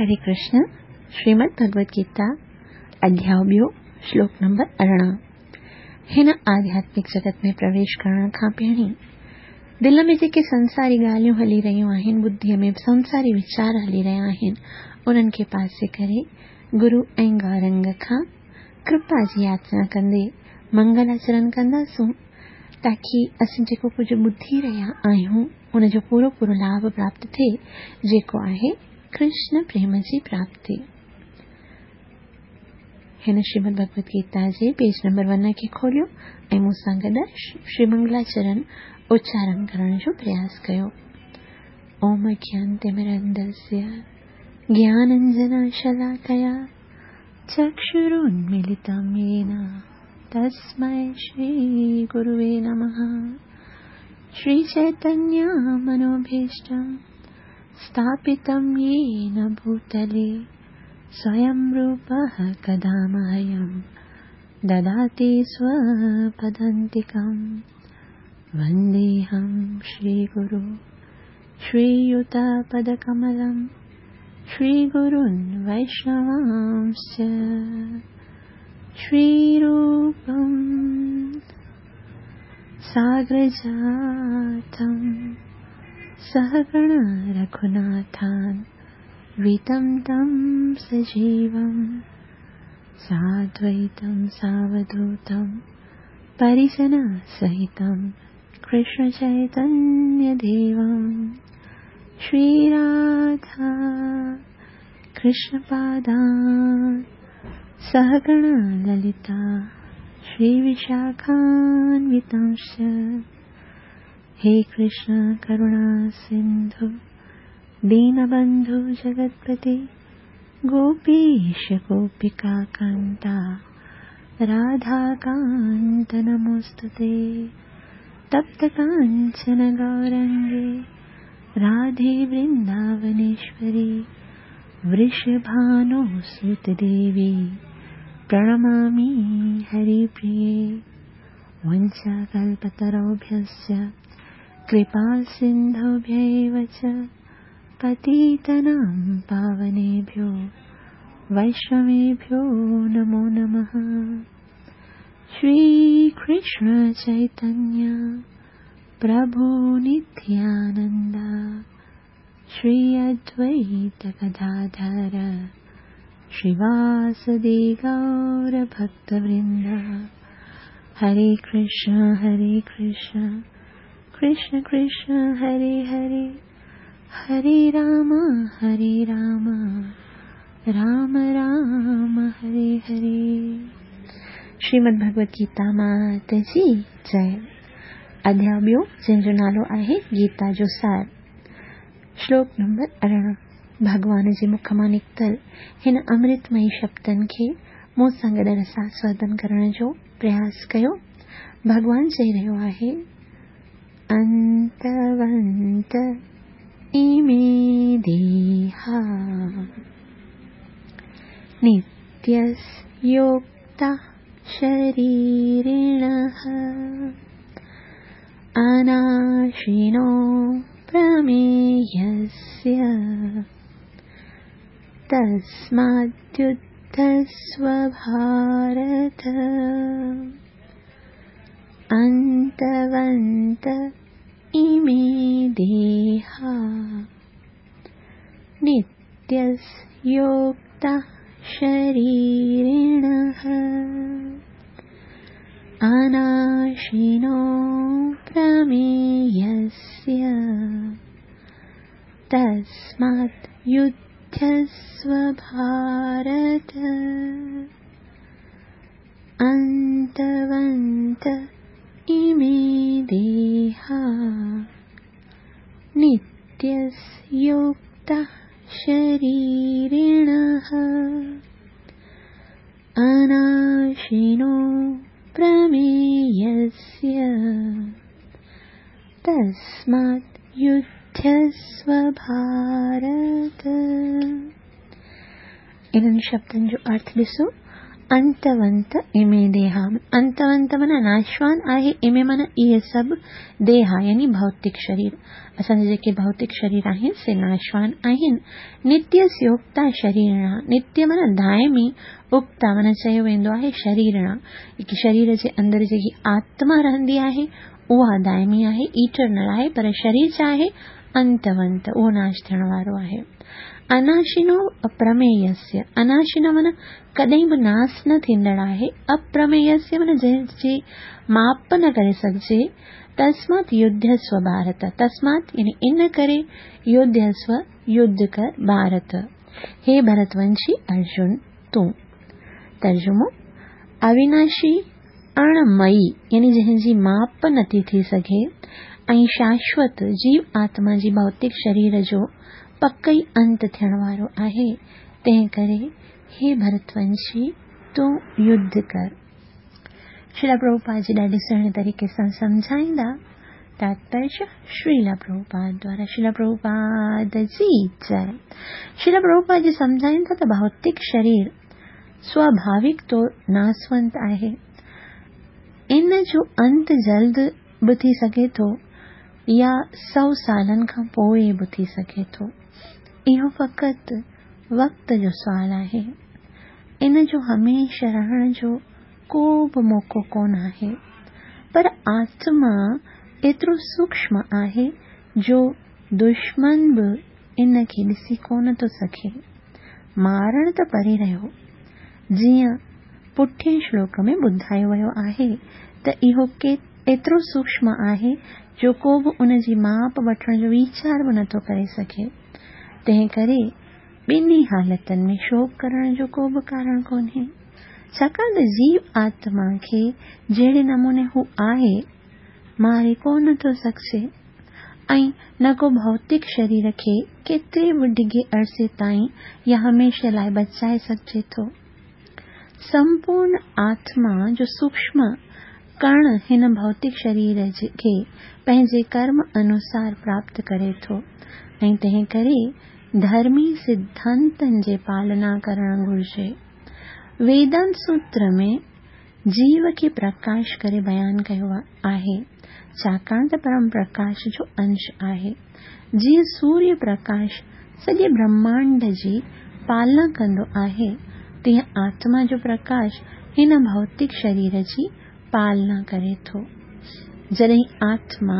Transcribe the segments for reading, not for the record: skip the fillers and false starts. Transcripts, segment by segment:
हरे कृष्ण, श्रीमद भगवद गीता अध्याय ॿियो, श्लोक नंबर 18। हिन आध्यात्मिक जगत में प्रवेश करण खां पहिरीं दिलि में जेके संसारी ॻाल्हियूं हली रहियूं आहिनि, बुद्धीअ में संसारी वीचार हली रहिया आहिनि, उन्हनि खे पासे करे गुरू ऐं गौरंग खां कृपा जी याचना कंदे मंगलाचरण कंदासूं, ताकी असीं जेको कुझु ॿुधी रहिया आहियूं उनजो पूरो पूरो लाभ प्राप्त थिए, जेको आहे कृष्ण प्रेम जी प्राप्ति। हिन श्रीमद भगवद गीता जे पेज नंबर 1 खे खोलियो ऐं मूं सां गॾु श्री मंगलाचरण उच्चारण करण जो प्रयास कयो। ओम अज्ञानतिमिरन्धस्य ज्ञानाञ्जनशलाकया चक्षुरुन्मीलितं येन तस्मै श्रीगुरुवे नमः। श्रीचैतन्यमनोभीष्टं स्थापितं येन भूतले स्वयं रूपः कदा मह्यं ददाति स्वपदान्तिकं। वन्देऽहं श्रीगुरु श्रीयुतपदकमलं श्रीगुरुन् वैष्णवांश्च। श्रीरूपं साग्रजातं सहगण रघुनाथान् वितं तं सजीवं साद्वैतं सावधूतं परिजनसहितं कृष्णचैतन्यदेवं। श्रीराधा कृष्णपादान् सहगण ललिता श्रीविशाखान्वितांश्च। हे कृष्ण करुणा सिन्धु दीनबन्धु जगत्पते गोपीश गोपिकान्ता राधाकान्त नमोऽस्तुते। तप्त काञ्चन गौरङ्गे राधे वृन्दावनेश्वरी वृषभानुसुते देवी प्रणमामि हरिप्रिये। वञ्चाकल्पतरुभ्यश्च कृपासिन्धुभ्यैव च पतितानां पावनेभ्यो वैष्णवेभ्यो नमो नमः। श्रीकृष्ण चैतन्य प्रभु नित्यानन्द श्री अद्वैत गदाधर श्रीवासदि गौरभक्तवृन्द। हरे कृष्ण कृष्ण कृष्ण हरे हरे, हरे राम राम राम हरे हरे। श्रीमद भगवद गीता मात जी जय। अध्याय ॿियो जंहिंजो नालो आहे गीता जो सार, श्लोक नंबर 18। भॻवान जे मुख मां निकितल हिन अमृतमयी शब्दनि खे मूं सां गॾु रसास्वादन करण जो प्रयास कयो। भॻवान चई रहियो आहे, अंतवंत इमे देहा नित्यस्योक्ता शरीरिणः अनाशिनो प्रमेयस्य तस्माद्युध्यस्व भारत। अंतवंत इमे देहा नित्यस्योक्ता शरीरिणः अनाशिनो प्रमेयस्य तस्मात् युध्यस्व भारत। अंतवंत इमे देहा नित्यस्योक्ता शरीरिणः अनाशिनो प्रमेयस्य तस्मात् युध्यस्व भारत। इन्हनि शब्दनि जो अर्थ ॾिसो, انتونت امي ديها، انتونت معنيٰ ناشوان آهي، امي معنيٰ اهي سڀ، ديها يعني ڀوتڪ شرير، اسان جا جيڪي ڀوتڪ شرير آهن سي ناشوان آهن. نتيسيوڪتا شريرڻا، نتيه معنيٰ دائمي، اڪتا معنيٰ چيو ويندو آهي شريرڻا، جيڪي شرير جي اندر جيڪي آتما رهندي آهي اها دائمي آهي، ايٽرنل آهي، پر شرير ڇا آهي؟ انتونت، اهو ناش ٿيڻ وارو آهي. اناشنو اپرمييسيه، اناشنو معنيٰ ڪڏهن به ناس نه ٿيندڙ آهي، اپرمييسيه معنيٰ جنهن جي ماپ نه ڪري سگهجي، تسمات يڌيسو ڀارت، تسمات يعني ان ڪري، يڌيسو يڌ ڪر، ڀارت، هي ڀرت ونشي ارجن تون. ترجمو، اويناشي، اڻ مئي يعني جنهن جي ماپ نٿي ٿي سگهي ۽ شاشوت جيو آتما جي ڀوتڪ شرير جو پڪ ئي انت ٿيڻ وارو آهي، تنهن ڪري هي ڀرتونشي تون يڌ ڪر. شريلا پرڀوپاد جي ڏاڍي سهڻي طريقي سان سمجهائيندا. تاتپريه شريلا پرڀوپاد دوارا شريلا پرڀوپاد جي جئه. شريلا پرڀوپاد جي سمجهائين ٿا ته ڀوتڪ شرير سواڀاوڪ طور ناسونت آهي. ان جو انت جلد به ٿي سگهي ٿو يا سئو سالن کان پوء به ٿي سگهي ٿو. اهو فقط وقت جو سوال آهي. ان جو هميشه رهڻ جو ڪو به موقعو ڪونه آهي. پر آتما ايترو سوڪشم آهي جو دشمن به ان کي ڏسي ڪونه ٿو سگهي. مارڻ ته پري رهيو. جيئن پٺئين شلوڪ ۾ ٻڌايو ويو آهي ته اهو ايترو سوڪشم آهي جو ڪو به ان جي ماپ وٺڻ جو ويچار به نٿو ڪري سگهي. تنهن ڪري ٻنهي حالتن ۾ شوڪ ڪرڻ جو ڪو به ڪارڻ ڪونهي. ڇاڪاڻ ته جيو آتما کي جهڙي نموني هو آهي، ماري ڪو نه ٿو سگهجي ۽ نه ڪو ڀوتڪ شرير کي ڪيتري به ڊگهي عرصي تائين يا هميشه لاء بچائي سگهجي ٿو. سمپورن آتما جو سوڪشم ڪڻ هن ڀوتڪ شرير کي پنهنجي ڪرم انوسار پراپت ڪري ٿو ۽ تنهن ڪري ڌرمي سڌانتن جي پالنا ڪرڻ گهرجي. ويدانت سوتر ۾ جيو کي پرڪاش ڪري بيان ڪيو آهي، ڇاڪاڻ ته پرم پرڪاش جو انش آهي. جيئن سوريه پرڪاش سڄي برهمانڊ جي پالنا ڪندو آهي، تيئن آتما جو پرڪاش هن ڀوتڪ شرير جي پالنا ڪري ٿو. جڏهن آتما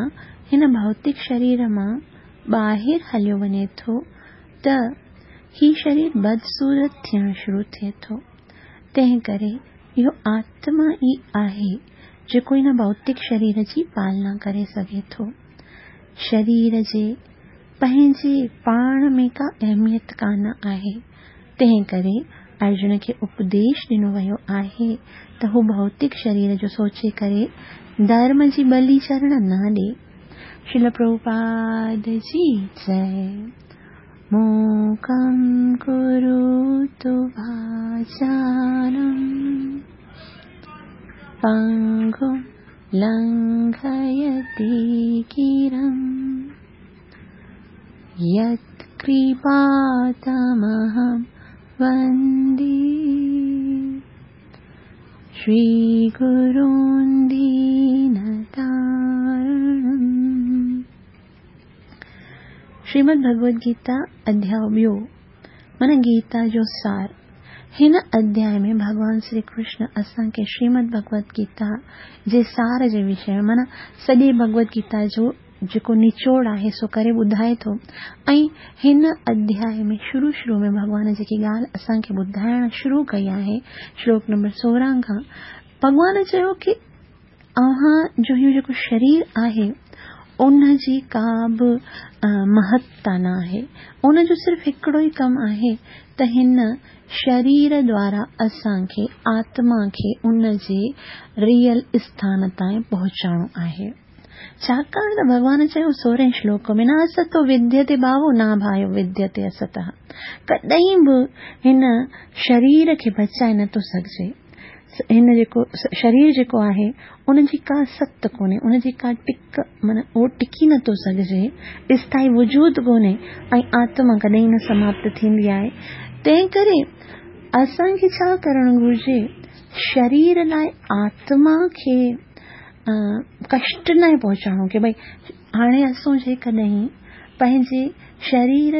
هن ڀوتڪ شرير مان ٻاهر هليو وڃي ٿو ته هي شرير بدصورت ٿيڻ شروع ٿئي ٿو. تنهن ڪري اهو آتما ئي آهي جيڪو هن ڀوتڪ شرير جي پالنا ڪري سگهي ٿو. شرير جي پنهنجي پاڻ ۾ ڪا اهميت ڪانه آهي، تنهن ڪري ارجن کي اپديش ڏنو ويو آهي ته هو ڀوتڪ شرير جو سوچي ڪري ڌرم جي ٻلي چڙهڻ نه ڏي. شريل پرڀوپاد جي جئه. موڪم ڪروتو واچالم پنگم لنگهيتي گرم يتڪرپا تمهم وندي شري گرون دينتارڻم. شريمد ڀڳوت گيتا اڌياء ٻيو معنيٰ گيتا جو سار. هن اڌياء ۾ ڀڳوان شري ڪرشن اسان کي شريمد ڀڳوت گيتا جي سار جي وشي ۾ معنيٰ سڄي ڀڳوت گيتا جو جيڪو نچوڙ آهي سو ڪري ٻڌائي ٿو ۽ هن اڌياء ۾ شروع شروع ۾ ڀڳوان جيڪي ڳالهه اسان کي ٻڌائڻ شروع ڪئي آهي شلوڪ نمبر 16 کان ڀڳوان چيو ڪي اوهان جو هيء جيڪو شرير آهي، ان جي ڪا به مهتا نه آهي. ان جو صرف هڪڙو ئي ڪم آهي ته هن شرير دوارا اسان کي آتما کي ان جي ريئل اسٿان تائين پهچائڻو آهي. ڇاڪاڻ ته ڀڳوان چيو سورهين شلوڪ ۾ نه استو وديتي ڀاوو نه ڀايو وديتي استها. ڪڏهن به هن شرير کي بچائي نه ٿو سگهجي. هن جيڪو شرير جيڪو آهي ان جي ڪا ست ڪونهي، ان جي ڪا ٽڪ معنيٰ اهو ٽڪي نه ٿو سگهجي، اسٿائي وجود ڪونهي ۽ آتما ڪڏهن نه سماپت ٿيندي آهي. تنهن ڪري اسان کي ڇا ڪرڻ گهرجي؟ شرير لاءِ آتما کي ڪشٽ ناهي پهچائڻو ڪه ڀئي هاڻي اسان جيڪڏهن پنهنجي شرير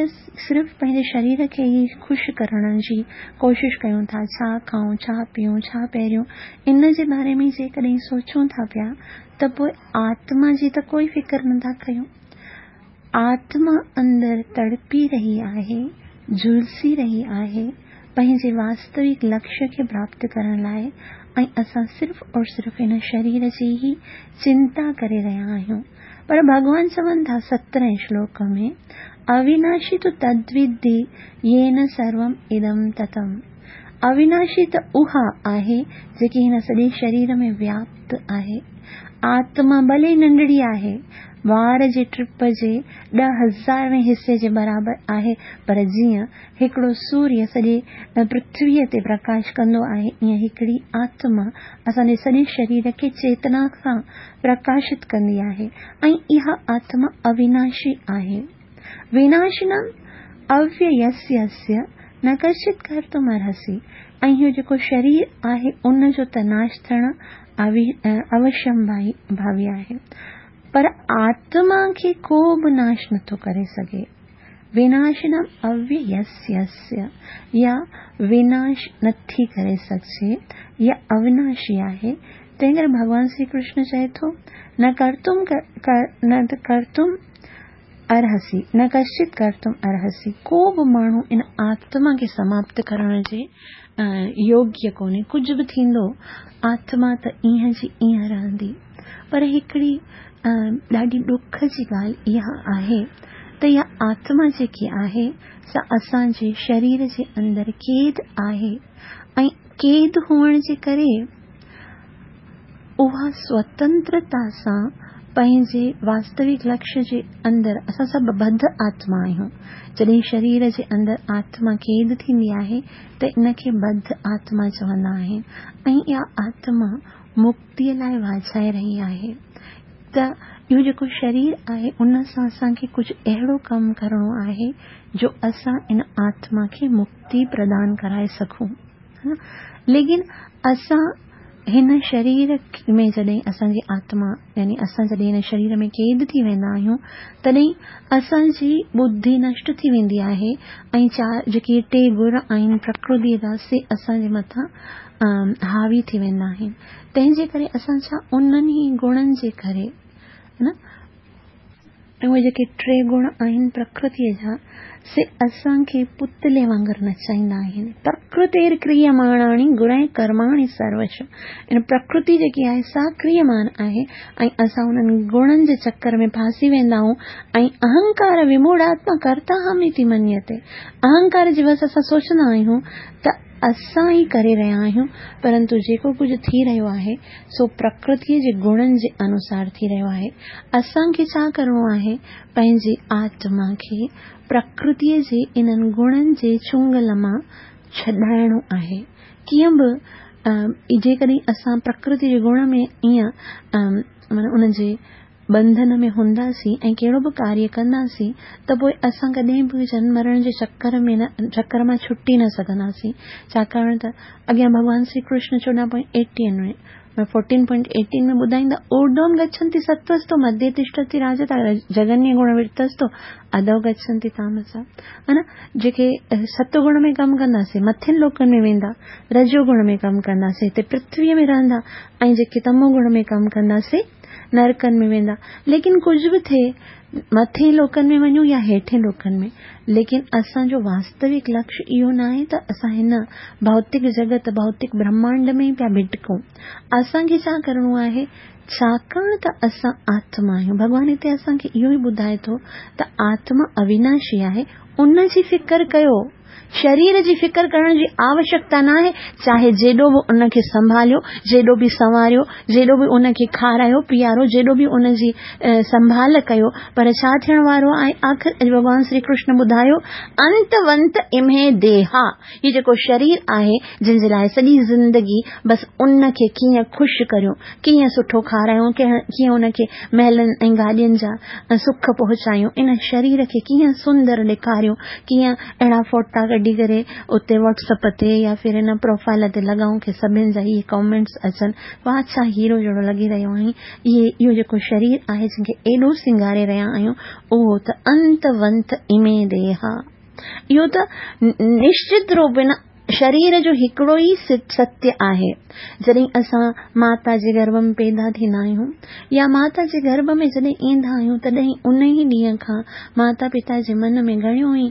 صرف پنهنجي شرير کي ئي خوش ڪرڻ جي ڪوشش ڪيون ٿا، ڇا کائون، ڇا پيئون، ڇا پهريون، ان جي باري ۾ جيڪڏهن سوچون ٿا پيا ته پوء آتما جي ته ڪوئي فڪر نه ٿا ڪيون. آتما اندر تڙپي رهي آهي، جهلسي رهي آهي پنهنجي واستوڪ لڪشيه کي پراپت ڪرڻ لاء ۽ اسان صرف اور صرف ان شرير جي ئي چنتا ڪري رهيا آهيون. پر ڀڳوان چون ٿا سترهين شلوڪ ۾، اويناشي تو تدوڌي يين سروم ادم تتم. اويناشي ته اها آهي جيڪي هن سڄي شرير ۾ وياپت آهي. آتما ڀلي ننڍڙي آهي، وار جي ٽپ جي 10,000 وين حصي جي برابر آهي، پر جيئن هڪڙو سوريه سڄي پرٿويء تي پرڪاش ڪندو آهي، ائين هڪڙي آتما اسان جي سڄي شرير کي چيتنا سان پرڪاشت ڪندي آهي ۽ اها آتما اويناشي آهي. ويناشنم اوييسيسيه نه ڪشچت ڪرتم ارهسي ۽ اهو جيڪو شرير آهي ان جو ته ناش ٿيڻ اوشم ڀاوي آهي پر آتما کي ڪو به ناش نٿو ڪري سگهي. ويناشنم اوييسيسيه يا ويناش نٿي ڪري سگهجي يا اوناشي آهي تنهن ڪري ڀڳوان شري ڪرشن چئي ٿو نه ڪرتم نه ڪرتم ارهسي، نه ڪشچت ڪرتم ارهسي، ڪو به ماڻهو ان آتما کي سماپت ڪرڻ جي يوگيه ڪونهي، ڪجهه به ٿيندو آتما ته ايئن جي ايئن رهندي. پر هڪڙي ڏاڍي ڏک جي ڳالهه اها آهي ته اها آتما جيڪي آهي سا اسان جي شرير جي اندر قيد آهي ۽ قيد هئڻ جي ڪري اها سوتنترتا سان پنهنجي واستوڪ لڪشيه جي اندر اسان سڀ ٻڌ آتما آهيون. جڏهن شرير جي اندر آتما قيد ٿيندي آهي ته ان کي ٻڌ آتما چوندا آهن ۽ اها آتما مڪتيء لاء واجهائي رهي آهي ته اهو جيڪو شرير آهي ان سان اسان کي ڪجهه اهڙو ڪم ڪرڻو آهي جو اسان ان آتما کي مڪتي پردان ڪرائي سگهون. ليڪن اسان هن شرير ۾ جڏهن اسان جي آتما يعني اسان جڏهن هن شرير ۾ قيد ٿي ويندا آهيون تڏهن اسان جي ٻڌي نشٽ ٿي ويندي آهي ۽ چار جيڪي ٽي گڻ آهن پرڪرتي جا سي اسان جي مٿان حاوي ٿي ويندا آهن تنهن جي ڪري اسان ڇا انهن ئي گڻن جي ڪري نه ۽ اهي جيڪي ٽي گڻ آهن پرڪرتيء جا، سي اسان کي پتلي وانگر نچائيندا آهن. پرڪرتير ڪريماڻاڻي گڻين ڪرماڻي سروش. ان پرڪرتي جيڪي آهي سا ڪريمان آهي ۽ اسان انهن گڻن جي چڪر ۾ ڦاسي ويندا آهيون ۽ اهنڪار وموڙهاتما ڪرتاهم اتي منيتي. اهنڪار جي وس اسان سوچندا آهيون ته اسان ئي ڪري رهيا آهيون، پرنتو جيڪو ڪجهه ٿي رهيو آهي، سو پرڪرتيء جي گڻن جي انوسار ٿي رهيو آهي. اسان کي ڇا ڪرڻو آهي؟ پنهنجي آتما کي پرڪرتيء جي انهن گڻن جي چنگل مان ڇڏائڻو آهي. ڪيئن به جيڪڏهن اسان پرڪرتيء جي گڻ ۾ ائين معنيٰ ان جي ٻنڌن ۾ هونداسين ۽ ڪهڙو به ڪاريه ڪنداسين ته پوء اسان ڪڏهن به جنم مرڻ جي چڪر ۾ نه چڪر مان ڇٽي نه سگهنداسين ڇاڪاڻ ته اڳيان ڀڳوان شري ڪرشن چوڏهن پوائنٽ ايٽيهن ۾ فورٽين پوائنٽ ايٽين ۾ ٻڌائيندا اورڌوم گڇنتي ستوستو مڌيه تشٺتي راجتا جگنيه گڻ ورتستو اڌو گڇنتي تامسا ها نه جيڪي ست گڻ ۾ ڪم ڪندا سي مٿين لوڪن ۾ ويندا رجو گڻ ۾ ڪم ڪندا سي هتي پرٿويء ۾ رهندا ۽ جيڪي تمو گڻ ۾ ڪم ڪندا سي نرڪن ۾ ويندا ليڪن ڪجهه به ٿئي مٿين لوڪن ۾ وڃون يا هيٺين لوڪن ۾ ليڪن اسان جو واستوڪ لڪش اهو ناهي ته اسان هن ڀوتڪ جڳت ڀوتڪ برهمانڊ ۾ ئي پيا ڀٽڪون اسان کي ڇا ڪرڻو آهي ڇاڪاڻ ته اسان آتما آهيون ڀڳوان هتي اسان کي اهو ئي ٻڌائي ٿو ته آتما اويناشي آهي ان جي فڪر ڪيو شرير جي فڪر ڪرڻ جي آوشڪتا ناهي، چاهي جيڏو به ان کي سنڀاليو، جيڏو به سنواريو، جيڏو به ان کي کارايو پيارو، جيڏو به ان جي سنڀال ڪيو، پر ڇا ٿيڻ وارو آهي؟ آخر اڄ ڀڳوان شري ڪرشن ٻڌايو، انت ونت امهي ديها، هي جيڪو شرير آهي، جنهن جي لاء سڄي زندگي بس ان کي ڪيئن خوش ڪريون، ڪيئن سٺو کارايون، ڪيئن ان کي محلن ۽ گاڏين جا سک پهچايون، ان شرير کي ڪيئن سندر ڏيکاريون، ڪيئن اهڙا فوٽا ڪڍي. ڪڍي ڪري اتي واٽس اپ تي يا ڦر هن پروفائل تي لڳائون ڪي سڀن جا اهي ڪامينٽس اچن، واهه ڇا هيرو جهڙو لڳي رهيو آهين. اهي اهو جيڪو شرير آهي جنهن کي ايڏو سينگاري رهيا آهيون اهو ته انت ونت امي ديها. اهو ته نشچت روپيڻ شرير جو هڪڙو ئي ستيه آهي. جڏهن اسان ماتا جي گرڀ ۾ پيدا ٿيندا آهيون يا ماتا جي گرڀ ۾ جڏهن ايندا آهيون تڏهن ان ئي ڏينهن کان ماتا پتا جي من ۾ گهڻيون ئي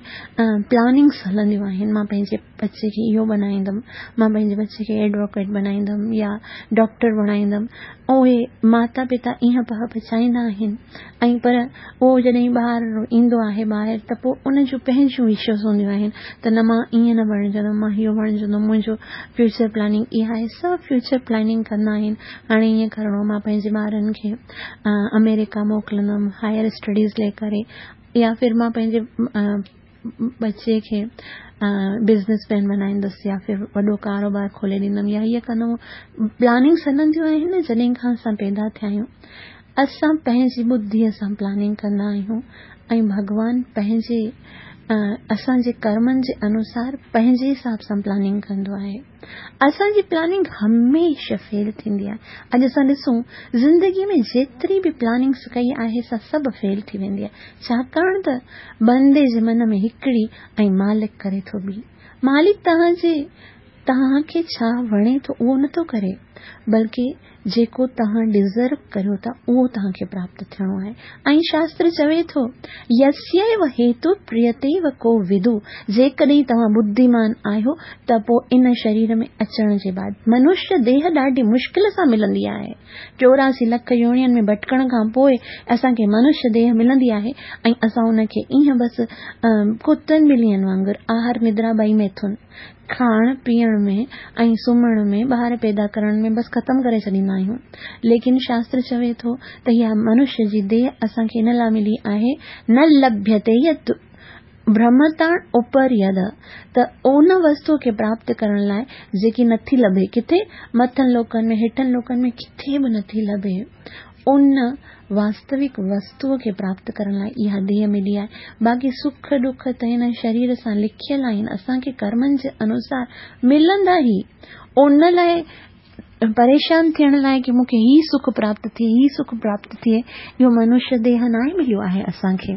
پلاننگس هلنديون آهن. مان پنهنجي ٻچي کي اهو بنائيندم، مان پنهنجي ٻچي کي ايڊووڪيٽ بنائيندم يا ڊاڪٽر بڻائيندم. اهي ماتا پتا ايئن پهه پچائيندا آهن ۽ پر اهو جڏهن ٻار ايندو آهي ٻاهر ته پوء ان جون پنهنجون وشز هونديون آهن ته نه مان ائين نه بڻجندم، مان اهو بڻجندم، منهنجو فيوچر پلاننگ اها آهي. سڀ فيوچر پلاننگ ڪندا آهن. هاڻي ائين ڪرڻو مان پنهنجي ٻارن کي آمريڪا موڪلندم هائر اسٽڊيز لاء ڪري يا ڦر مان پنهنجي ٻچي کي بزنس مين بنائيندس يا ڦر وڏو ڪاروبار کولي ڏيندم يا هيء ڪندم. پلاننگس هلنديون آهن نه جڏهن کان اسان پيدا ٿيا آهيون. اسان پنهنجي ٻڌيء سان پلاننگ ڪندا آهيون ۽ ڀڳوان پنهنجي اسان جي ڪرمن جي انوسار پنهنجي حساب سان پلاننگ ڪندو آهي. اسان جي پلاننگ هميشه فيل ٿيندي آهي. اڄ اسان ڏسون زندگي ۾ جيتري به پلاننگس ڪئي آهي سا سڀ فيل ٿي ويندي آهي. ڇاڪاڻ ته بندي جي من ۾ هڪڙي ۽ مالڪ ڪري ٿو ٻي. مالڪ توهان جي توهان کي ڇا وڻي ٿو اهو نه ٿو ڪري بلڪه جيڪو توهان ڊزرو ڪريو ٿا اهو توهان کي پراپت ٿيڻو آهي ۽ شاستر چوي ٿو يسيو هيتو پريتيو ڪو ودو جيڪڏهن توهان ٻڌيمان آهيو ته پوء ان شرير ۾ اچڻ جي بعد منشيه ديهه ڏاڍي مشڪل سان ملندي آهي 84 لک يونين ۾ ڀٽڪڻ کان پوء اسان کي منشيه ديهه ملندي آهي ۽ اسان ان کي ايئن بس ڪتن ٻلين وانگر آهر ندرا ٻئي ميٿن کائڻ پيئڻ ۾ ۽ سمهڻ ۾ ٻار پيدا ڪرڻ ۾ بس ختم ڪري ڇڏيندا آهيون. ليڪن شاستر چوي ٿو ته اها منشيه جي ديهه اسان کي ان لاء ملي آهي نه لڀيتي يت برهمتاڻ اپر يد ته ان وستوء کي پراپت ڪرڻ لاء جيڪي نٿي لڀي ڪٿي مٿن لوڪن ۾ هيٺن لوڪن ۾ ڪٿي به نٿي لڀي. ان واستوڪ وستوء کي پراپت ڪرڻ لاء اها ديهه ملي آهي. باقي سک ڏک ته هن شرير سان لکيل آهن، اسان کي ڪرمن جي انوسار ملندا ئي. ان لاء پريشان ٿيڻ لاء ڪي مون کي هي سک پراپت ٿئي، هي سک پراپت ٿئي، اهو منشيه ديهه ناهي مليو آهي اسان کي.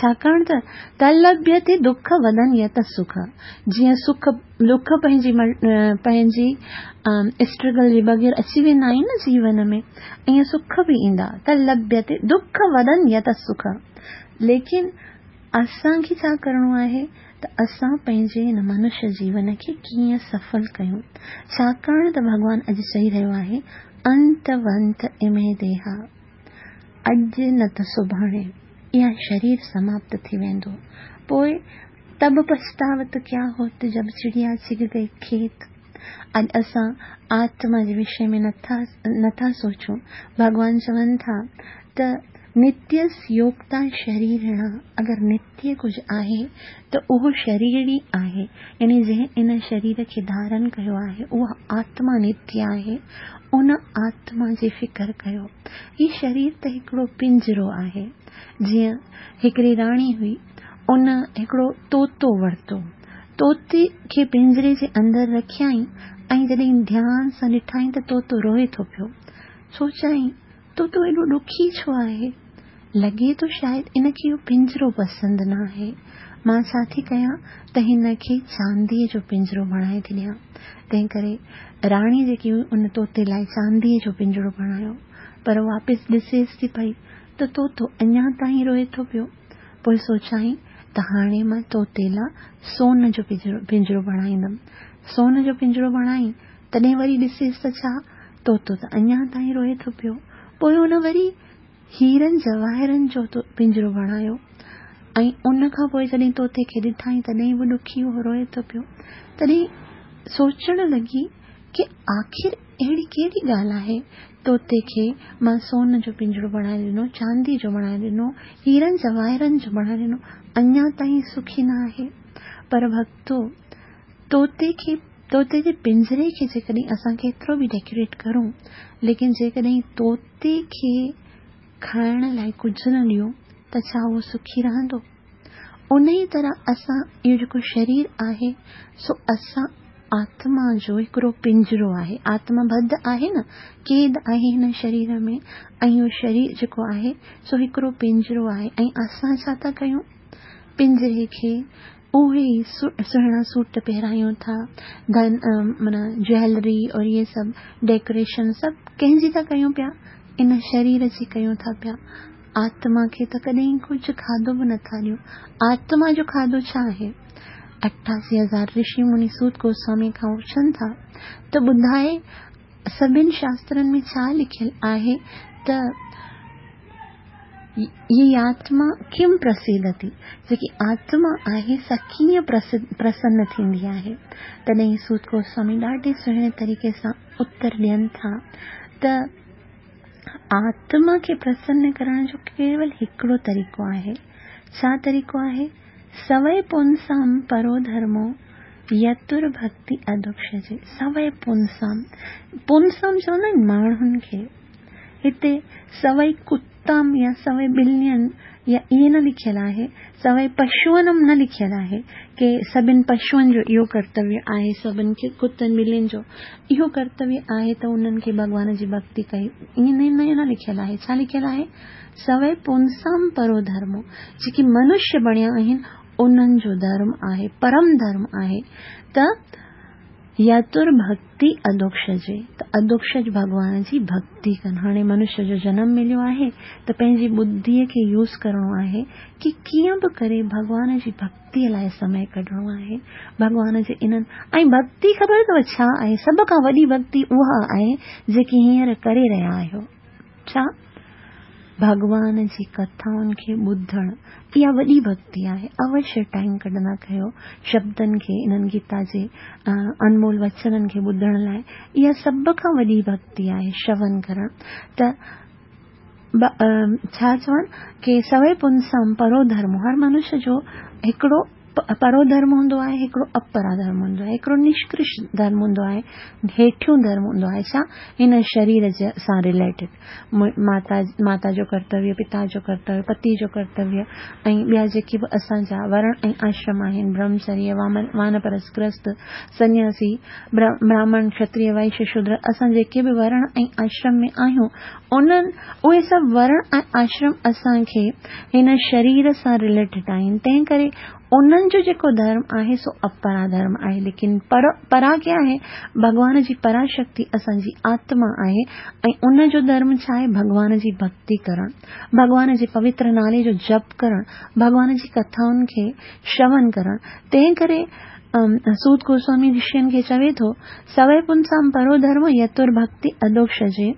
ڇاڪاڻ ته تلڀيتي دک وڌن يت سک، جيئن سک ڏک پنهنجي پنهنجي اسٽرگل جي بغير اچي ويندا آهن نه جيون ۾ ائين سک به ايندا ته لڀيتي دک وڌن يت سک ليڪن اسان کي ڇا ڪرڻو آهي ته اسان پنهنجي هن منشيه جيون کي ڪيئن سڦل ڪيون ڇاڪاڻ ته ڀڳوان اڄ چئي رهيو آهي انت ونت امي ديها اڄ نه ته سڀاڻي اها شرير سماپت ٿي ويندو پوء تب پڇتاوت ڪيا هوت جب چڙيا چگ گئي کيت. اڄ اسان آتما جي وشي ۾ نٿا سوچون. ڀڳوان چون ٿا ته نتيس يوگتا شريرڻا اگر نتيه ڪجهه آهي ته اهو شرير ئي آهي يعني جنهن ان شرير کي ڌارن ڪيو آهي اها آتما نتيه آهي ان آتما جي فڪر ڪيو. هي شرير ته هڪڙو پنجرو آهي. جيئن هڪڙي راڻي هئي ان هڪڙو طوطو ورتو. طوطي کي پڃري جي اندر رکيائين ۽ جڏهن ڌيان سان ڏٺائين ته طوطو روئي ٿو پيو. سوچيائين، طوطو ايڏو ڏکي ڇو آهي؟ لڳي ٿو شايد ان کي اهو پڃرو پسند نه آهي. مان ڇا ٿي ڪيان ته هن کي چانديء جو پڃرو بڻائي ٿي ڏيان. تنهن ڪري راڻي جيڪي هئي ان طوطي لاء چانديء جو پڃرو بڻايو. پر واپس ڏسيس ٿي پئي ته طوطو اڃا تائين روئي ٿو پيو. پوء سوچيائين ته هاڻي مان طوطي لا سون جو پڃرو بڻائيندم. سون جو پڃرو بڻائين، تڏهن وري ڏسيس ته ڇا، طوطو ته اڃا تائين روئي ٿو پيو. پوء هن وري هيرن جواهرن جو پڃرو بڻايو ۽ ان کان پوء جڏهن طوطي کي ڏٺائين تڏهن به ڏکي هو روئي ٿو پيو. تڏهن سوچڻ لڳي ڪي آخر اهڙي ڪهڙي ڳالهه آهي؟ طوطي کي مان سون جو پڃرو بڻائي ڏنو، چانديء جو بڻائي ڏنو، هيرن جواهرن جو بڻائي ڏنو، اڃا تائين سکي نه آهي. پر ڀڳتو، طوطي کي، طوطي جي پڃري کي جيڪڏهن اسان ڪيترو به ڊيڪوريٽ ڪرون، ليڪن جيڪڏهن طوطي کي کائڻ لاء ڪجهه نه ڏيون ته ڇا اهو سکي رهندو؟ ان ئي طرح اسان اهو جيڪو شرير آهي سو اسان آتما جو هڪڙو پڃرو آهي. آتما بڌ آهي نه، قيد آهي هن شرير ۾ ۽ اهو شرير جيڪو آهي سو هڪڙو پڃرو آهي ۽ اسان ڇا ٿا ڪيون؟ پڃري کي اهي ئي سهڻا سوٽ پهرايون ٿا، ڌن معنيٰ جويلري اور اهي سڀ ڊيڪوريشن سڀ ڪنهن جي ٿا ڪيون پيا؟ ان شرير جي ڪيون ٿا پيا. آتما کي ته ڪڏهن ڪجهه کاڌو به نٿا ڏيون. آتما جو کاڌو ڇا آهي؟ 88,000 رشي مني سوت گوسوامي کان پڇن ٿا ته ٻڌائي سڀن شاسترن ۾ ڇا لکيل آهي ته هي آتما ڪم پرسيدتي، جيڪي آتما آهي سا ڪيئن پرسن ٿيندي آهي؟ تڏهن سوت گوسوامي ڏاڍي سهڻي طريقي سان اتر ڏين ٿا ته آتما کي پرسن ڪرڻ جو ڪيول هڪڙو طريقو آهي. ڇا طريقو آهي؟ سوئي پونسام پرو ڌرمو يتر ڀڳتي اڌوڪشجي. سوئي پونسام، پونسام چوندا آهن ماڻهن کي. هتي سوئي ڪتام يا سوئي ٻلين يا ائين نه لکيل آهي، سوئي پشوئنم نه لکيل آهي ڪي سڀن پشوئن جو اهو ڪرتويه آهي، سڀن ڪتن ٻلين جو اهو ڪرتويه آهي ته انهن کي ڀڳوان جي ڀڳتي ڪئي، ائين نه لکيل آهي. ڇا لکيل آهي؟ سوئي پونسام پرو ڌرمو، جيڪي منشيه بڻيا آهن انهن جو ڌرم آهي، پرم ڌرم آهي ته يتر ڀڳتي اڌوڪشجي، ته اڌوڪشج ڀڳوان جي ڀڳتي ڪن. هاڻي منشيه جو جنم مليو آهي ته پنهنجي ٻڌيء کي يوز ڪرڻو آهي ڪي ڪيئن به ڪري ڀڳوان جي ڀڳتيء لاء سمي ڪڍڻو آهي. ڀڳوان جي انهن ۽ ڀڳتي خبر اٿو ڇا آهي؟ سڀ کان وڏي ڀڳتي اها آهي جيڪي هينئر ڪري رهيا آهيو. ڇا؟ ڀڳوان جي ڪٿائن کي ٻڌڻ، اها وڏي ڀڳتي آهي. اوشيه ٽائيم ڪڍندا ڪيو شبدن کي، انهن گيتا جي انمول وچنن کي ٻڌڻ لاء. اها سڀ کان وڏي ڀڳتي آهي شون ڪرڻ. ته ڇا چون ڪي سوئي پنسام پرو ڌرم، هر منش جو هڪڙو پرو ڌرم هوندو آهي، هڪڙو اپرا ڌرم هوندو آهي، هڪڙو نشڪرش ڌرم هوندو آهي، هيٺيون ڌرم هوندو آهي، ڇا؟ هن شرير جي سان رليٽيڊ، ماتا جو ڪرتويه، پتا جو ڪرتويه، پتي جو ڪرتويه ۽ ٻيا جيڪي به اسان جا ورڻ ۽ آشرم آهن، برهمچريه، وانپرست، گرهست، سنياسي، براهمڻ، کتريه، وئش، شودر، اسان جيڪي به ورڻ ۽ آشرم ۾ آهيون، انهن اهي سڀ ورڻ ۽ آشرم اسان کي هن شرير سان رليٽيڊ آهن، تنهن ڪري انهن جو جيڪو ڌرم آهي سو اپرا ڌرم آهي، ليڪن پرا ڪيا آهي؟ ڀڳوان جي پرا شڪتي اسان جي آتما آهي ۽ ان جو ڌرم ڇا آهي؟ ڀڳوان جي ڀڳتي ڪرڻ، ڀڳوان جي پوتر نالي جو جپ ڪرڻ، ڀڳوان جي ڪٿائن کي شرون ڪرڻ، تنهن ڪري سوت گوسوامي رشين کي چوي ٿو، سوئي پنسام پرو ڌرم يتر ڀڳتي اڌوڪشجي،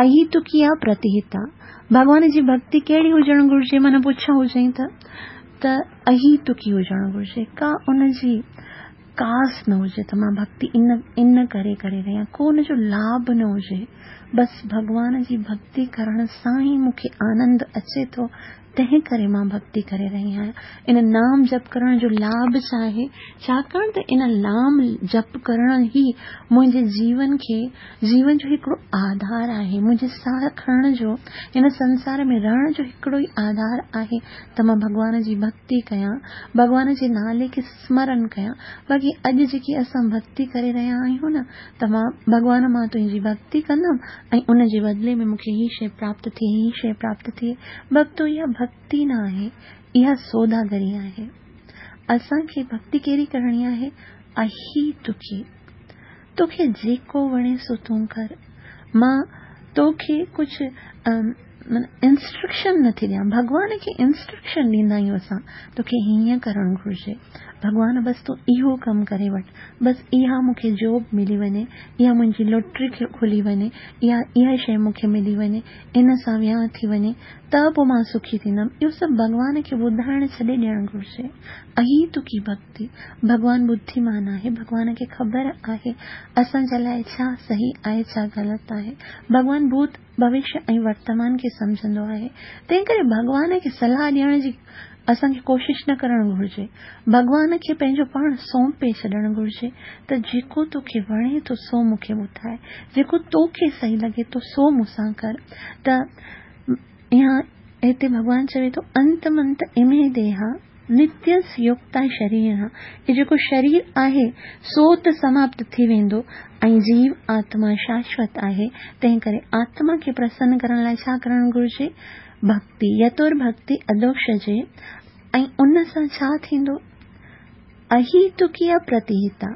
اهيتڪيا پرتيهتا. ڀڳوان جي ڀڳتي ڪهڙي هجڻ گهرجي؟ معنيٰ پڇا هجئين ته اهيتڪي هجڻ گهرجي، ڪا ان جي ڪاس نه هجي ته مان ڀڳتي ان ڪري ڪري رهي آهيان، ڪو ان جو لاڀ نه هجي، بس ڀڳوان جي ڀڳتي ڪرڻ سان ئي مون کي آنند اچي ٿو، تنهن ڪري مان ڀڳتي ڪري رهي آهيان. ان نام جپ ڪرڻ جو لاڀ ڇا آهي؟ ڇاڪاڻ ته ان نام جپ ڪرڻ ئي منهنجي جيون کي جيون جو هڪڙو آڌار آهي. منهنجي ساهه کڻڻ جو، هن سنسار ۾ رهڻ جو هڪڙو ئي آڌار آهي ته مان ڀڳوان جي ڀڳتي ڪيان، ڀڳوان جي نالي کي سمرن ڪيان. باقي اڄ جيڪي اسان ڀڳتي ڪري رهيا آهيون نه ته مان ڀڳوان مان تنهنجي ڀڳتي ڪندم ۽ ان جي بدلي ۾ مون کي هي شيء پراپت ٿئي، هي شيء پراپت ٿئي. ڀڳتو اها ڀڳتي نه آهي، اها سوداگري آهي. اسان کي ڀڳتي ڪهڙي ڪرڻي آهي؟ اهيتڪي. توکي جيڪو وڻي سو تون ڪر. مان توکي ڪجهه انسٽرڪشن نه ٿي ڏيان. ڀڳوان کي انسٽرڪشن ڏيندا آهيون اسان، توکي هيئن ڪرڻ گهرجي. ڀڳوان بس تون اهو ڪم ڪري وٺ، بس اها مون کي جاب ملي وڃي، اها منهنجي لوٽري کلي وڃي، يا اها شيء مون کي ملي وڃي، ان سان ويانهه ٿي وڃي ته پوء مان سکي ٿيندم. اهو سڀ ڀڳوان کي ٻڌائڻ ڇڏي ڏيڻ گهرجي. اهيتڪي ڀڳتي. ڀڳوان ٻڌيمان آهي، ڀڳوان کي خبر آهي اسان جي لاء ڇا صحيح آهي ڇا غلط آهي. ڀڳوان ڀوت، ڀوشيه ۽ ورتمان کي سمجهندو آهي. تنهنڪري ڀڳوان کي صلاح ڏيڻ جي اسان کي ڪوشش نه ڪرڻ گهرجي. ڀڳوان کي پنهنجو پاڻ سونپي ڇڏڻ گهرجي ته جيڪو توکي وڻي ٿو سو مون کي ٻڌاء، جيڪو توکي صحيح لڳي ٿو سو مون سان ڪر. ته هتي ڀڳوان چوي ٿو انت منت امي ديها. نتيس يوڪتا شرير، هي جيڪو شرير آهي سو ته سماپت ٿي ويندو ۽ جيو آتما شاشوت آهي، تنهن ڪري آتما کي پرسن ڪرڻ لاء ڇا ڪرڻ گهرجي؟ ڀڳتي، يتور ڀڳتي اڌوڪشجي ۽ ان سان ڇا ٿيندو؟ اهيتڪي اپرتيهتا،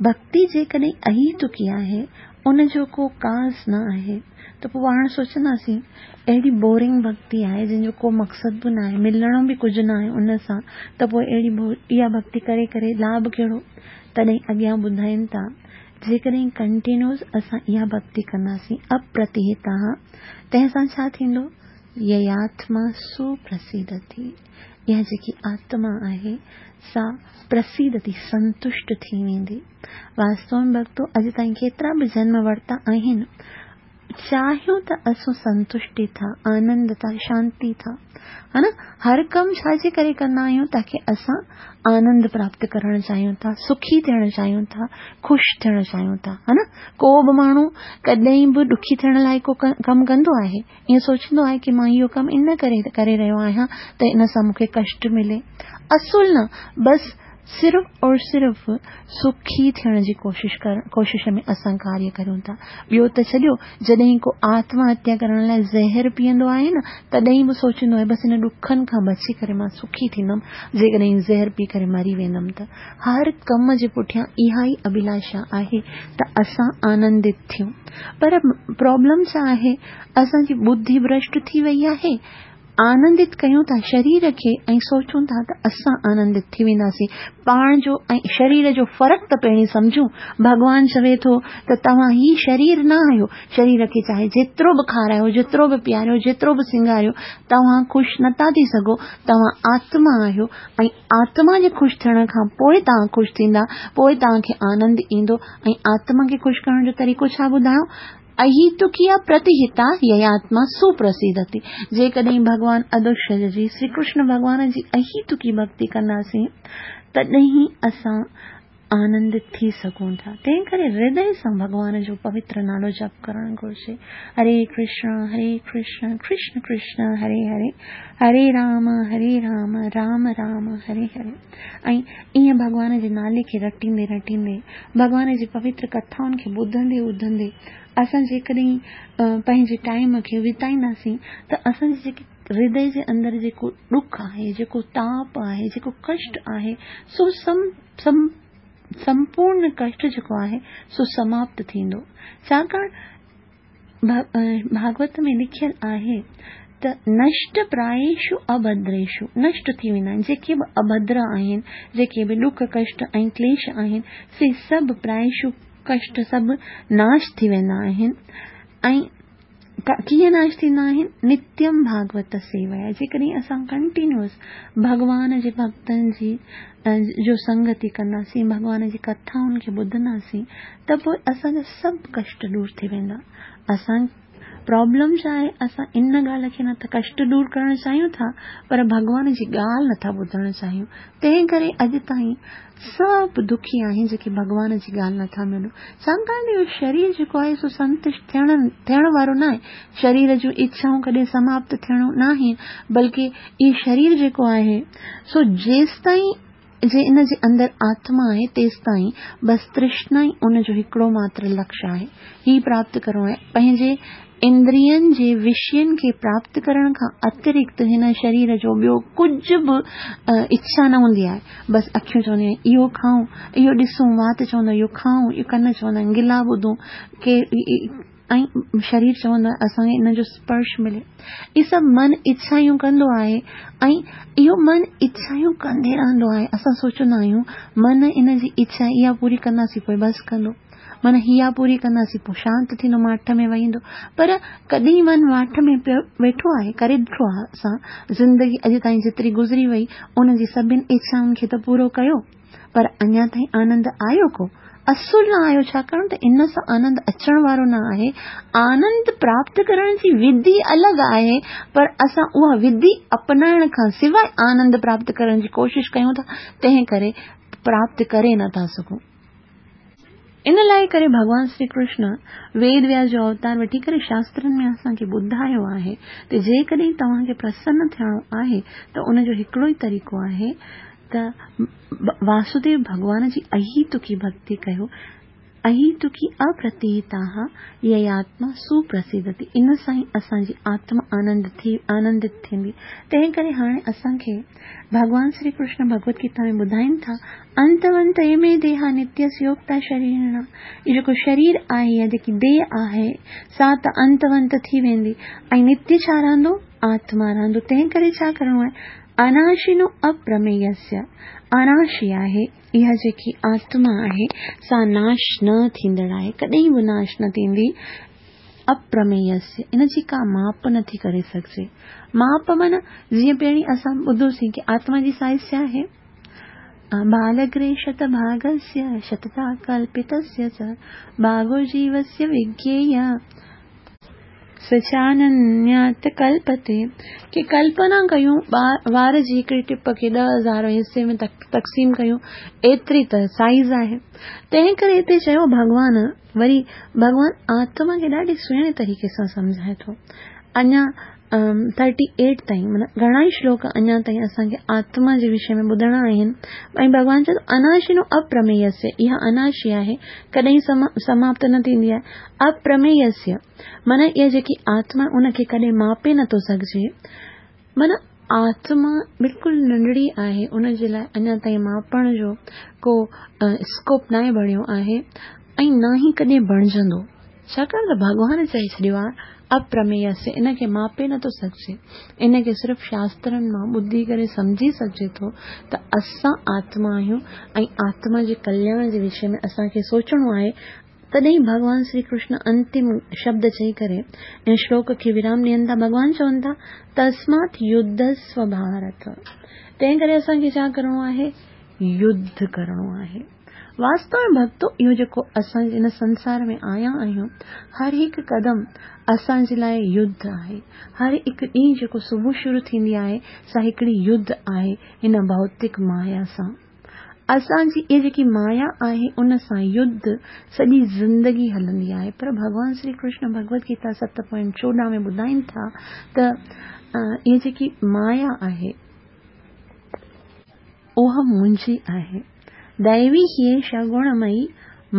ڀڳتي جيڪڏهن اهيتڪي آهي، ان جو ڪو ڪاز نه آهي ته پوء پاڻ سوچنداسين اهڙي بورنگ ڀڳتي آهي جنهن جو ڪو مقصد به ناهي، ملڻو به ڪجهه ناهي ان سان ته پوء اهڙي اها ڀڳتي ڪري ڪري لاڀ ڪهڙو؟ تڏهن اڳيان ٻڌائين ٿا جيڪڏهن ڪنٽينيوز اسان اها ڀڳتي ڪنداسين اپرتيهتا تنهن سان ڇا ٿيندو؟ يياتما سپرسيدتي اها جيڪي آتما آهي سا پرسيدتي سنتشٽ ٿي ويندي. واستو ۾ ڀڳتو اڄ تائين ڪيترا به جنم ورتا آهن، چاهيون ته اسون سنتشٽي ٿا، آنند ٿا، شانتي ٿا. ها نه؟ هر ڪم ڇا جي ڪري ڪندا آهيون؟ تاڪي اسان آنند پراپت ڪرڻ چاهيون ٿا، سکي ٿيڻ چاهيون ٿا، خوش ٿيڻ چاهيون ٿا. ها نه؟ ڪو به ماڻهو ڪڏهن به ڏکي ٿيڻ لاء ڪو ڪم ڪندو آهي؟ ائين سوچيندو آهي ڪي مان اهو ڪم ان ڪري ڪري رهيو آهيان ته ان سان مون کي ڪشٽ ملي؟ اصل نه، بس صرف اور صرف سکي ٿيڻ جي ڪوشش ڪرڻ ڪوشش ۾ اسان ڪاريه ڪريون ٿا. ٻيو ته ڇڏيو جڏهن ڪو آتم هتيا ڪرڻ لاء زهر پيئندو آهي نه تڏهن به سوچيندو آهي بس ان ڏکن کان بچي ڪري مان سکي ٿيندم جيڪڏهن زهر پي ڪري مري ويندم ته. هر ڪم جي پٺيان اها ئي اڀلاشا آهي ته اسان آنندت ٿيون. پر پرابلم ڇا آهي اسان جي ٻڌي ڀرشٽ ٿي وئي آهي. آنندت ڪيون ٿا شرير کي ۽ سوچون ٿا ته اسان آنندت ٿي وينداسين. پاڻ جو ۽ شرير جو فرق ته پهرين سمجهون. ڀڳوان چوي ٿو ته توهان هي شرير نه آهيو. شرير کي چاهي جيترو به کارايو، جيترو به پياريو، جيترو به سينگاريو، توهان خوش نٿا ٿي سگهو. توهان آتما آهيو ۽ آتما جي خوش ٿيڻ کان پوء توهان خوش ٿيندا، پوء توهان کي آنند ايندو ۽ آتما کي خوش ڪرڻ جو طريقو ڇا ٻڌايو؟ اهيتڪيا پرتيهتا يياتما سپرسيدتي، جيڪڏهن ڀڳوان اڌوشج جي، شري ڪرشن ڀڳوان جي اهيتڪي ڀڳتي ڪنداسين، تڏهن ئي اسان آنندت ٿي سگهون ٿا. تنهن ڪري هردي سان ڀڳوان جو پوتر نالو جپ ڪرڻ گهرجي. هري ڪرشن هري ڪرشن ڪرشن ڪرشن هري هري، هري رام هري رام رام رام هري هري. ۽ ائين ڀڳوان جي نالي کي رٽيندي رٽيندي، ڀڳوان جي پوتر ڪٿائن کي ٻڌندي ٻڌندي اسان جيڪڏهن پنهنجي ٽائيم کي وتائينداسين ته اسان جي جيڪي هردي جي اندر جيڪو ڏک آهي، جيڪو تاپ آهي، جيڪو ڪشٽ آهي، سو سمپورن ڪشٽ جيڪو آهي سو سماپت ٿيندو. ڇاڪاڻ ڀاڳوت ۾ لکيل آهي ته نشٽ پرايشو اڀدريشو، نشٽ ٿي ويندا آهن، جيڪي به اڀدر آهن، جيڪي به ڏک ڪشٽ ۽ ڪليش آهن، سي سڀ پرايشو ڪشٽ سڀ ناش ٿي ويندا آهن ۽ ڪيئن ناش ٿيندا آهن؟ نتيم ڀاڳوت سيويا، جيڪڏهن اسان ڪنٽينيوس ڀڳوان جي ڀڳتن جي جو سنگتي ڪنداسين، ڀڳوان جي ڪٿائن کي ٻڌنداسين ته پوء اسان جا سڀ ڪشٽ دور ٿي ويندا. اسان پرابلم ڇا آهي اسان ان ڳالهه کي نه ته ڪشٽ دور ڪرڻ چاهيون ٿا پر ڀڳوان جي ڳالهه نه ٿا ٻڌڻ چاهيون تنهن ڪري اڄ تائين سڀ دکي آهن جيڪي ڀڳوان جي ڳالهه نه ٿا مڃون ڇاڪاڻ ته اهو شرير جيڪو آهي سو سنتشٽ ٿيڻ ٿيڻ وارو ناهي شرير جون اڇائون ڪڏهن سماپت ٿيڻو ناهي بلڪه اهو شرير جيڪو آهي سو جيستائين جي ان جي اندر آتما آهي تيستائين بس ترشنا ئي ان جو هڪڙو ماتر لڪش آهي. هي پراپت ڪرڻو آهي. پنهنجي اندرين جي وشين کي پراپت ڪرڻ کان اترڪت هن شرير جو ٻيو ڪجهه به اڇا نه هوندي آهي. بس اکيون چونديون آهن اهو کائون، اهو ڏسون، وات چوندو آهي اهو کائون، اهو ڪن چوندا آهن گلا ٻڌون، ڪي ۽ شرير چوندو آهي اسان کي ان جو اسپرش ملي. اهي سڀ من اڇايون ڪندو آهي ۽ اهو من اڇايون ڪندي رهندو آهي. اسان سوچندا آهيون من ان جي اڇا اها پوري ڪنداسين پوء بس ڪندو. من اها پوري ڪنداسين پوء شانت ٿيندو ماٺ ۾ ويهندو. پر ڪڏهن من ماٺ ۾ پيو ويٺو آهي ڪري ڏٺو آهي اسان زندگي اڄ تائين جيتري گذري وئي ان جي سڀن اڇائن کي ته پورو ڪيو. پر اڃا تائين آنند آيو ڪو؟ اصل نه آيو ڇاڪاڻ ته ان سان آنند اچڻ وارو نه آهي. آنند پراپت ڪرڻ جي وڌي الڳ آهي پر اسان اها وڌي اپنائڻ کان سواء آنند پراپت ڪرڻ جي ڪوشش ڪيون ٿا تنهن ڪري پراپت ڪري نه ٿا سگهون. ان لاء ڪري ڀڳوان شري ڪرشن ويد وياس جو اوتار وٺي ڪري شاسترن ۾ اسان کي ٻڌايو آهي ته جيڪڏهن توهان کي پرسن ٿيڻو آهي ته ان جو هڪڙو ئي طريقو آهي ته واسوديو ڀڳوان جي اهيتڪي ڀڳتي ڪيو. اهيتڪي اپرتيهتاها يياتما سپرسيدتي، ان سان ئي اسان جي آتما آنند ٿي آنندت ٿيندي. تنهن ڪري هاڻي اسان کي ڀڳوان شري ڪرشن ڀڳوت گيتا ۾ ٻڌائين ٿا، انتونت امي ديها نتيسيوڪتا شريرڻا، هي جيڪو شرير آهي يا جيڪي ديهه آهي سا ته انتونت ٿي ويندي ۽ نتي ڇا رهندو؟ آتما رهندو. تنهن ڪري ڇا ڪرڻو آهي؟ اناشنو اپرمييسيه، اناشي آهي. اها جيڪي آتما آهي سا ناش نه ٿيندڙ آهي، ڪڏهن به ناش نه ٿيندي. اپرمييسيه، ان جي ڪا ماپ نه ٿي ڪري سگهجي. ماپ معنيٰ جيئن پهرين اسان ٻڌوسين ڪي آتما جي سائيز ڇا آهي؟ بالگري شت ڀاگسيه شتتا ڪلپتسيه چ ڀاگو جيوسيه وگييه سچاننيات ڪلپتي، ڪي ڪلپنا ڪيون وار جي هڪڙي ٽپ کي 10,000 حصي ۾ تقسيم ڪيون ايتري ته سائيز آهي. تنهن ڪري هتي چيو ڀڳوان وري ڀڳوان آتما کي ڏاڍي سهڻي طريقي سان سمجهائي ٿو. اڃا ٿرٽي ايٽ تائين معنيٰ گهڻا ئي شلوڪ اڃا تائين اسان کي آتما جي وشي ۾ ٻڌڻا آهن ۽ ڀڳوان چئي ٿو اناشنو اپرمييسيه، اها اناشي آهي ڪڏهن سماپت نه ٿيندي آهي. اپرمييسيه معنيٰ اها جيڪي آتما ان کي ڪڏهن ماپي نٿو سگهجي. معنيٰ آتما بلڪل ننڍڙي آهي ان جي لاء اڃا تائين ماپڻ جو ڪو اسڪوپ ناهي بڻيو آهي ۽ نه ئي ڪڏهن بڻجندو. ڇاڪاڻ ته ڀڳوان چئي ڇڏيو آهي اپرمييسيه ان کي ماپي نٿو سگهجي. ان کي صرف شاسترن مان ٻڌي ڪري سمجهي سگهجي ٿو ته اسان آتما آهيون ۽ آتما جي ڪلياڻ جي وشي ۾ اسان کي سوچڻو آهي. تڏهن ڀڳوان شري ڪرشن انتم شبد چئي ڪري ان شلوڪ کي ورام ڏين ٿا. ڀڳوان چون ٿا، تسمات يڌسو ڀارت. تنهن ڪري اسان کي ڇا ڪرڻو آهي؟ يڌ ڪرڻو آهي. واستو ۾ ڀڳتو اهو جيڪو اسان هن سنسار ۾ آيا آهيون، هر هڪ قدم اسان جي لاء يڌ آهي. هر هڪ ڏينهن جيڪو صبح شروع ٿيندي آهي، سا هڪڙي يڌ آهي هن ڀوتڪ مايا سان. اسان جي اها جيڪي مايا آهي ان سان يڌ سڄي زندگي هلندي آهي پر ڀڳوان شري ڪرشن ڀڳوت گيتا 7.14 ۾ ٻڌائين ٿا ته اها جيڪي مايا آهي اها منهنجي آهي. دئوي هيء گڻمئي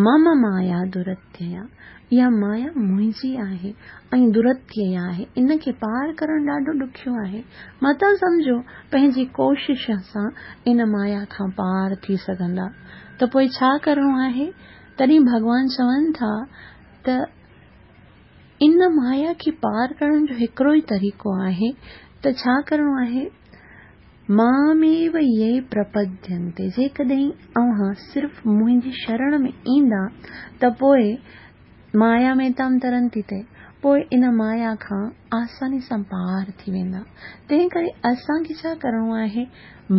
مم مايا درتيا، اها مايا منهنجي آهي ۽ درتيا آهي، ان کي پار ڪرڻ ڏاڍو ڏکيو آهي. متان سمجهو پنهنجي ڪوشش سان ان مايا کان پار ٿي سگهندا. ته پوء ڇا ڪرڻو آهي؟ تڏهن ڀڳوان چون ٿا ته ان مايا کي پار ڪرڻ جو هڪڙو ئي طريقو آهي ته ڇا ڪرڻو آهي؟ ماميو يي پرپدينتي، جيڪڏهن اوهان صرف منهنجي شرڻ ۾ ايندا ته پوء مايا ميتام ترنتي تي، پوء ان مايا کان آساني سان پار ٿي ويندا. تنهن ڪري اسان کي ڇا ڪرڻو آهي؟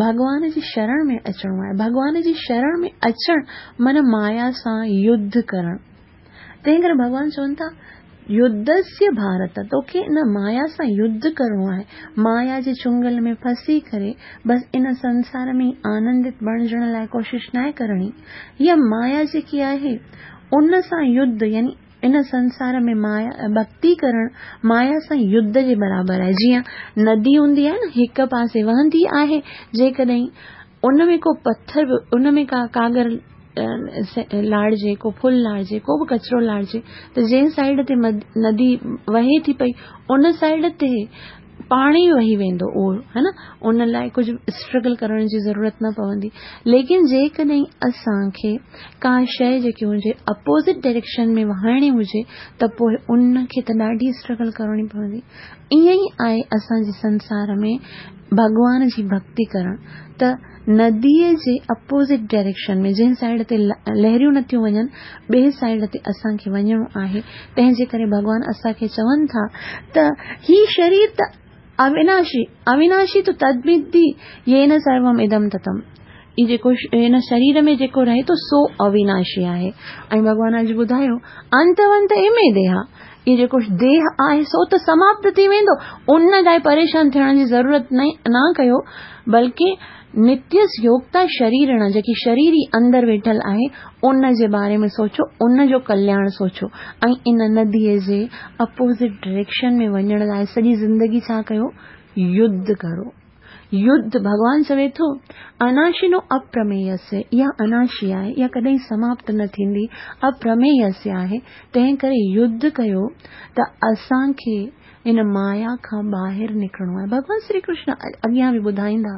ڀڳوان جي شرڻ ۾ اچڻو آهي. ڀڳوان جي شرڻ ۾ اچڻ معنيٰ مايا سان يڌ ڪرڻ. تنهن ڪري ڀڳوان چون ٿا، يڌسيه ڀارت، توکي ان مايا سان يڌ ڪرڻو آهي. مايا جي چنگل ۾ ڦسي ڪري بس ان سنسار ۾ ئي آنندت بڻجڻ لاء ڪوشش ناهي ڪرڻي. هيء مايا جيڪي آهي، ان سان يڌ يعني ان سنسار ۾ مايا ڀڳتي ڪرڻ مايا سان يڌ جي برابر آهي. جيئن ندي هوندي آهي نه، هڪ پاسي وهندي آهي، جيڪڏهن ان ۾ ڪو پٿر به ان ۾ ڪا ڪاڳر لاڙجي، ڪو ڦل لاڙجي، ڪو به ڪچرو لاڙجي ته جنهن سائيڊ تي ندي وهي ٿي پئي ان سائيڊ تي پاڻ ئي وهي ويندو اهو ها نه ان لاء ڪجهه اسٽرگل ڪرڻ جي ضرورت نه پوندي ليڪن جيڪڏهن اسان کي ڪا شيء جيڪي هجي اپوزٽ ڊائريڪشن ۾ وهائڻي هجي ته پوء ان کي ته ڏاڍي اسٽرگل ڪرڻي پوندي ائين ئي آهي اسان جي سنسار ۾ ڀڳوان جي ڀڳتي ڪرڻ ته نديء جي اپوزٽ ڊائريڪشن ۾ جنهن سائيڊ تي لهريون نٿيون وڃن ٻئي سائيڊ تي اسان کي وڃڻو آهي تنهن جي ڪري ڀڳوان اسان کي چون ٿا ته هي شرير ته اويناشي اويناشي تو تدمدي يين سروم ادم تتم هي جيڪو هن شرير ۾ جيڪو رهي ٿو سو اويناشي آهي ۽ ڀڳوان اڄ ٻڌايو انتونت امي ديها اهو جيڪو ديهه آهي سو ته سماپت ٿي ويندو، ان لاء پريشان ٿيڻ جي ضرورت نه ڪيو، بلڪه نتيس يوگتا شريرڻ جيڪي شريري اندر ويٺل آهي ان جي باري ۾ سوچو، ان جو ڪلياڻ سوچو ۽ ان نديء جي اپوزٽ ڊائريڪشن ۾ وڃڻ لاء سڄي زندگي ڇا ڪيو؟ يڌ ڪرو. يڌ، ڀڳوان چوي ٿو، اناشنو اپرمييسي، اها اناشي آهي، اها ڪڏهن سماپت نه ٿيندي، اپرمييسي آهي، تنهن ڪري يڌ ڪيو ته اسان کي هن مايا کان ٻاهر نڪرڻو آهي. ڀڳوان شري ڪرشن اڳيان به ٻڌائيندا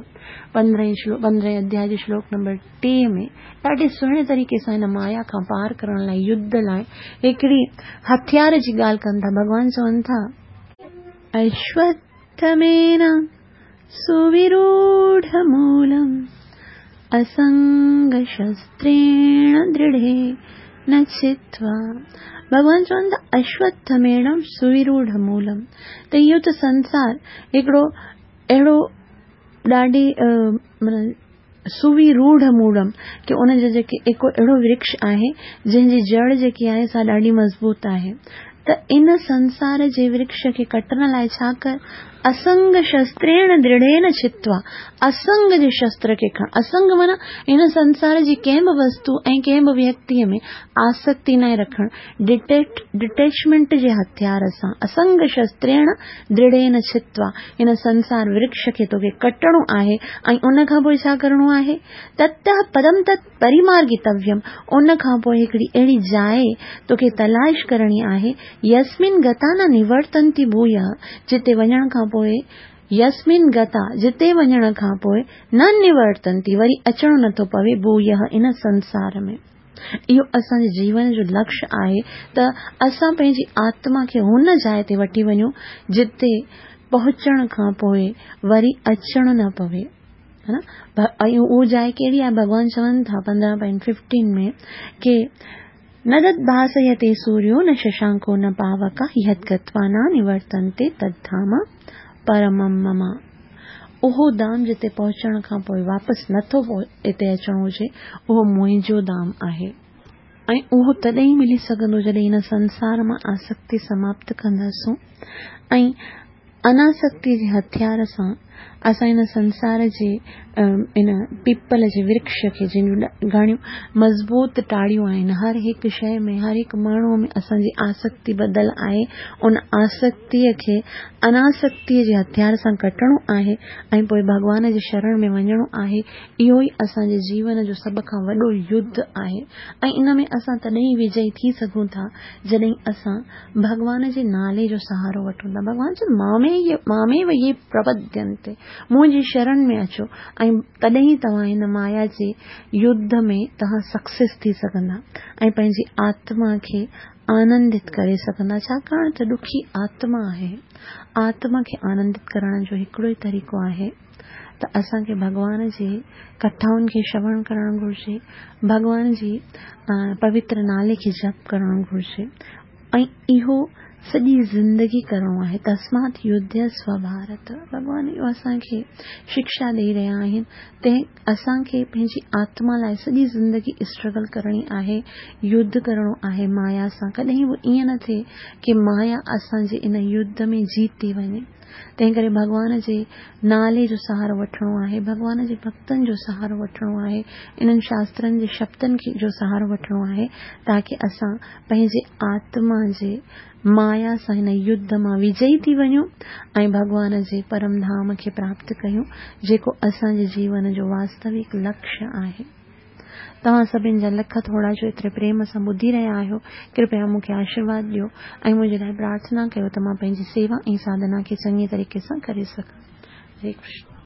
پندرهين شلوڪ پندرهين اڌياء جي شلوڪ نمبر 3 ۾ ڏاڍي سهڻي طريقي سان هن مايا کان پار ڪرڻ لاء يڌ لاء هڪڙي هٿيار جي ڳالهه ڪن ٿا. ڀڳوان چون ٿا. اشوٿمين سووروڍمولم اسنگشستريڻ درڍين ڇتوا. ڀڳوان چون ٿا اشوٿميڻم سووروڍمولم ته اهو ته سنسار هڪڙو اهڙو ڏاڍي معنيٰ سووروڍ مولم ڪي ان جو جيڪي هڪ اهڙو ورڪش آهي جنهن جي جڙ جيڪي آهي سا ڏاڍي مضبوط آهي ته ان سنسار جي ورڪش کي ڪٽڻ لاء ڇا ڪر؟ اسنگ شستريڻ درڍين ڇتوا، اسنگ جي شستر کي کڻ. اسنگ معنيٰ هن سنسار جي ڪنهن به وستو ۽ ڪنهن به ويڪتيء ۾ آسڪتي ناهي رکڻ، ڊٽيچمينٽ جي هٿيار سان، اسنگ شستريڻ درڍين ڇتوا، هن سنسار ورڪش کي توکي ڪٽڻو آهي ۽ ان کان پوء ڇا ڪرڻو آهي؟ تتهه پدم تت پريمارگتويم، ان کان پوء هڪڙي اهڙي جاء توکي تلاش ڪرڻي آهي، يسمن گتا نه نورتنتي ڀويه، جتي وڃڻ کان پوء، يسمن گتا، جتي وڃڻ کان پوء، نه نورتنتي، وري اچڻو نه ٿو پوي، ڀويه، ان سنسار ۾. اهو اسان جي جيون جو لڪش آهي ته اسان پنهنجي آتما کي هن جاء تي وٺي وڃون، جتي پهچڻ کان پوء وري اچڻو نه پوي. ها نه؟ ۽ اهو جاء ڪهڙي آهي؟ ڀڳوان چون ٿا پندرهن پوائنٽ ففٽين ۾ ڪي نه تد ڀاسيتي سوريو نه ششانڪو نه پاوڪا يت گتوا نه نورتنتي تد ڌام پرمم مم. اهو ڌام جتي پهچڻ کان پوء واپس نٿو هتي اچڻو هجي اهو منهنجو ڌام آهي. ۽ اهو تڏهن ئي ملي سگهندو جڏهن هن سنسار مان آسڪتي سماپت ڪنداسون ۽ اناسڪتيء جي هٿيار سان اسان هن سنسار جي ان پيپل جي ورڪش کي جنهن جون گهڻيون مضبوط ٽاڙيون آهن، هر هڪ شيء ۾ هر هڪ ماڻهوء ۾ اسان جي آسڪتي ٻڌل آهي، ان آسڪتيء کي اناسڪتيء جي هٿيار سان ڪٽڻو آهي ۽ پوء ڀڳوان جي شرڻ ۾ وڃڻو آهي، اهو ئي اسان جي جيون جو سڀ کان وڏو يڌ آهي ۽ ان ۾ اسان تڏهن ئي وجئي ٿي سگهون ٿا جڏهن اسان ڀڳوان جي نالي جو سهارو وٺون ٿا. ڀڳوان چيو ماميو يي پرپدينتي، منهنجي شرڻ ۾ اچو ۽ تڏهن ئي توهان هن مايا جي يڌ ۾ توهان سڪسيس ٿي سگهندا ۽ پنهنجي آتما کي آنندت ڪري سگهندا ڇاڪاڻ ته ڏکي آتما آهي. آتما کي آنندت ڪرڻ جو هڪڙو ئي طريقو آهي ته اسان کي ڀڳوان جي ڪٿائن کي شروڻ ڪرڻ گهرجي، ڀڳوان جي پوتر نالي کي جپ ڪرڻ گهرجي ۽ اهو سڄي زندگي ڪرڻو آهي. تسمات يڌيسو ڀارت. ڀڳوان اهو اسان کي شڪشا ڏئي رهيا آهن تنهن اسان کي پنهنجي آتما لاء سڄي زندگي اسٽرگل ڪرڻي آهي، يڌ ڪرڻو آهي مايا سان. ڪڏهن به ائين نه ٿئي ڪي مايا اسان جي ان يڌ ۾ جيتي وڃي. تنهن ڪري ڀڳوان جي نالي جو سهارو وٺڻو آهي، ڀڳوان جي ڀڳتن جو سهارو وٺڻو آهي، انهن شاسترن جي شبدن جو سهارو وٺڻو آهي تاڪه اسان پنهنجي آتما جي مايا سان هن يڌ مان وجئي ٿي وڃون ۽ ڀڳوان جي پرم ڌام کي پراپت ڪيون جيڪو اسان جي جيون جو واستوڪ لڪش آهي. توهان سڀن جا لک ٿورا جو ايتري پريم سان ٻڌي رهيا آهيو. ڪرپيا مون کي آشيرواد ڏيو ۽ منهنجي لاء پرارٿنا ڪيو ته مان پنهنجي سيوا ۽ ساڌنا کي چڱي طريقي سان ڪري سگهان. هري ڪرشن.